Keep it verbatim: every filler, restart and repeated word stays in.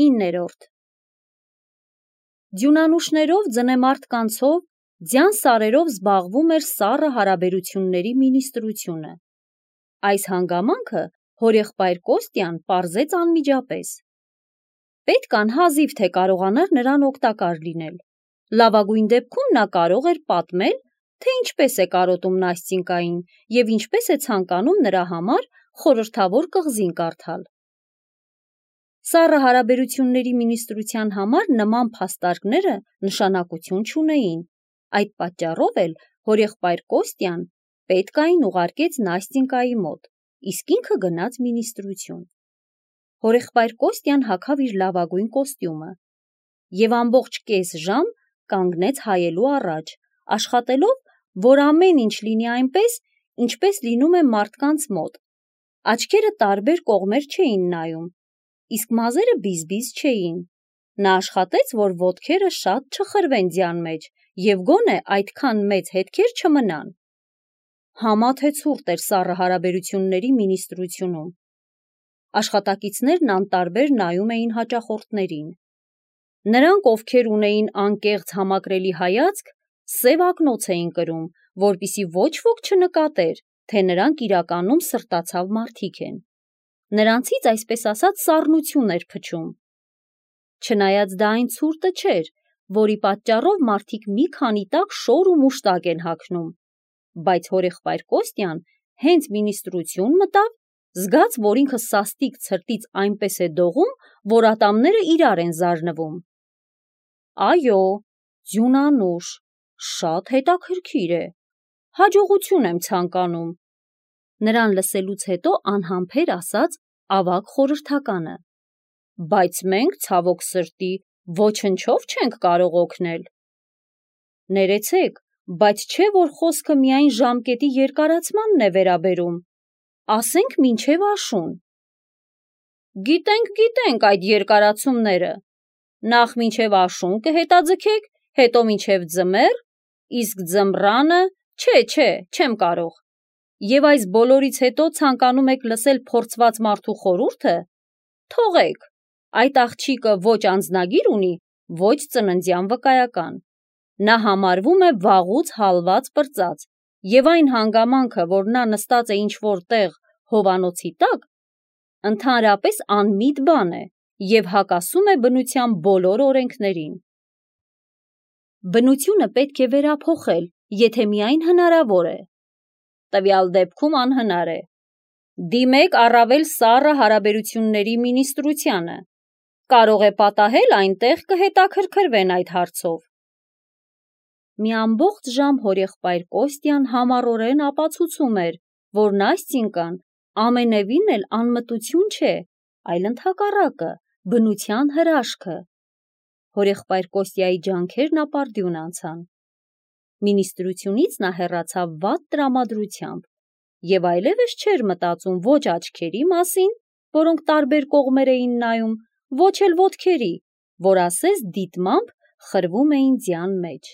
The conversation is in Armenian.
իններորդ Ձյունանուշներով, ձնեմարդկանցով, ձյան սարերով զբաղվում էր սառը հարաբերությունների մինիստրությունը։ Այս հանգամանքը հորեղբայր Կոստյան պարզեց անմիջապես։ Պետք անհազիվ թե կարողանար նրան օգտակար լինել։ Լավագույն դեպքում նա կարող էր պատմել, թե ինչպես է կարոտում Նաստինկային և ինչպես է ցանկանում նրա համար խորհրդավոր կղզին կարդալ։ Սառը հարաբերությունների մինիստրության համար նման փաստարկները նշանակություն չունեին, այդ պատճառով էլ հորեղբայր Կոստյան պետքային ուղարկեց Նաստինկայի մոտ, իսկ ինքը գնաց մինիստրություն։ Հորեղբայր Կոստյան հագավ իր լավագույն կոստյումը և ամբողջ կես ժամ կանգնեց հայելու առաջ, աշխատելով, որ ամեն ինչ լինի այնպես, ինչպես լինում է մարդկանց մոտ։ Աչքերը տարբեր կողմեր չէին նայում, իսկ մազերը բիզ-բիզ չէին։ Նա աշխատեց, որ ոտքերը շատ չխրվեն ձյան մեջ և գոնե այդքան մեծ հետքեր չմնան։ Համա թե ցուրտ էր սառը հարաբերությունների մինիստրությունում։ Աշխատակիցներն անտարբեր նայում էին հաճախորդներին։ Նրանք, ովքեր ունեին անկեղծ համակրելի հայացք, սև ակնոց էին կրում, որպեսզի ոչ ոք չնկատեր, թե նրանք իրականում սրտացավ մարդիկ են։ Նրանցից, այսպես ասած, սառնություն էր փչում։ Չնայած դա այն ցուրտը չէր, որի պատճառով մարդիկ մի քանի տակ շոր ու մուշտակ են հագնում, բայց հորեղբայր Կոստյան հենց մինիստրություն մտավ, զգաց, որ ինքը սաստիկ ցրտից այնպես է դողում, որ ատամները իրար են զարնվում։ Այո, ձյունանուշ, շատ հետաքրքիր է, հաջողություն եմ ցանկանում, նրան լսելուց հետո անհամբեր ասաց ավագ խորհրդականը, բայց մենք, ցավոք սրտի, ոչնչով չենք կարող օգնել։ Ներեցեք, բայց չէ, որ խոսքը միայն ժամկետի երկարացմանն է վերաբերում, ասենք մինչև աշուն։ Գիտենք, գիտենք այդ երկարացումները, նախ մինչև աշուն կհետաձգեք, հետո մինչև ձմեռ, իսկ ձմռանը, չէ, չէ, չեմ կարող։ Եվ այս բոլորից հետո ցանկանում եք լսել փորձված մարդու խորհուրդը, թողեք, այդ աղջիկը ոչ անձնագիր ունի, ոչ ծննդյան վկայական։ Նա համարվում է վաղուց հալված պրծած, և այն հանգամանքը, որ նա նստած է ինչ-որ տեղ հովանոցի տակ, ընդհանրապես անմիտ բան է և հակասում է բնության բոլոր օրենքներին։ Բնությունը պետք է վերափոխել, եթե միայն հնարավոր է։ Տվյալ դեպքում անհնար է։ Դիմեք առավել սառը հարաբերությունների մինիստրությանը, կարող է պատահել այնտեղ կհետաքրքրվեն այդ հարցով։ Մի ամբողջ ժամ հորեղբայր Կոստյան համառորեն ապացուցում էր, որ Նաստինկան ամենևին էլ անմտություն չէ, այլ ընդհակառակը, բնության հրաշքը։ Հորեղբայր Կոստյայի ջանքերն ապարդյուն անցան։ Մինիստրությունից նա հեռացավ վատ տրամադրությամբ և այլևս չէր մտածում ոչ աչքերի մասին, որոնք տարբեր կողմեր էին նայում, ոչ էլ ոտքերի, որ ասես դիտմամբ խրվում էին ձյան մեջ։